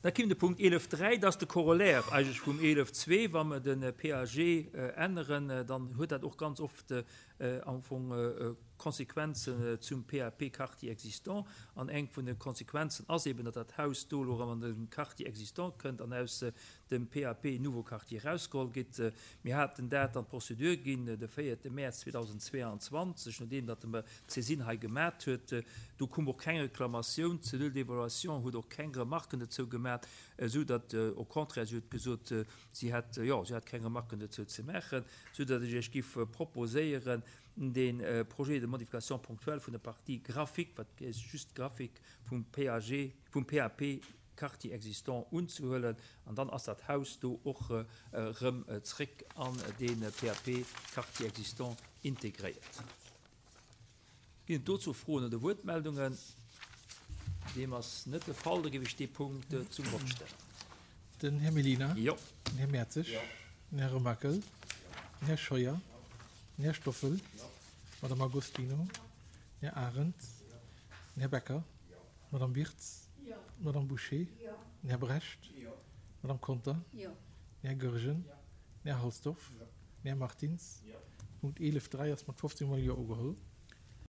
Da kimm de Punkt 11.3, dat ass de Corollaire eigentlech vum 11.2. Wa mer de PAG änneren, dann huet dat och ganz oft am Fong Konsequenzen zum PAP Quartier existant. An eng vun de Konsequenzen ass eben, datt dat Haus do elo erëm an de Quartier existant kënnt an aus dem PAP Nouveau Quartier erausgeholl gitt. Mir haten dat an d'Procédure ginn de véierte Mäerz 2022, nodeem datt de d'Saisine hei gemat huet. Do koum och keng Reklamatioun. D'Cellule d'évaluation huet och keng Remarken dozou gemat, esou datt, au contraire, si huet gesot, si hätt, jo, si hätt keng Remarken dozou ze maachen, esou datt ech Iech giff proposéieren, dee Projet de modification ponctuelle vun der Partie graphique, wat just graphique vum PAG, vum PAP Quartier existant unzehuelen an dann ass dat Haus do och erëm zréck an dee PAP Quartier existant integréiert. Ginn et dozou Froen oder Wuertmeldungen? Deem ass net de Fall. Da géif ech dee Punkt zum Vott stellen. Den Här Mellina. Jo. Den Här Mertzig. Jo. Den Här Remakel. Den Här Scheuer. Den Här Stoffel. D'Madame Agostino. Den Här Arendt. Den Här Becker. D'Madame Wirtz. D'Madame Bouché. Den Här Brecht. D'Madame Conter. Den Här Goergen. Den Här Halsdorf. Den Här Martins. Punkt 11 3 ass mat 15 mol Jo ugeholl.